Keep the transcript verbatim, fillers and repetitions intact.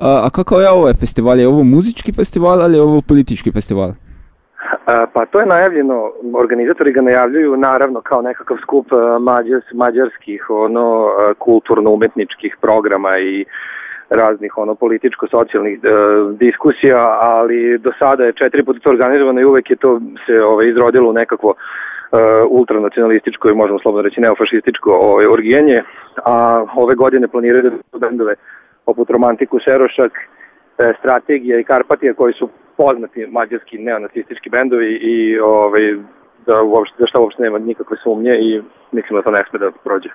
A, a kakav je ovaj festival? Je ovo muzički festival ali je ovo politički festival? A, pa to je najavljeno, organizatori ga najavljuju naravno kao nekakav skup mađars, mađarskih ono, kulturno-umetničkih programa i raznih ono političko-socijalnih e, diskusija, ali do sada je četiri puta to organizovano i uvek je to se ovaj, izrodilo u nekakvo e, ultranacionalističko i možemo slobodno reći neofašističko ovaj, orgijenje, a ove godine planiraju da bendove poput Romantiku, Serošak, e, Strategija i Karpatija koji su poznati mađarski neonacistički bendovi i ovaj, da, uopšte, da šta uopšte nema nikakve sumnje i mislim da to ne sme da prođe.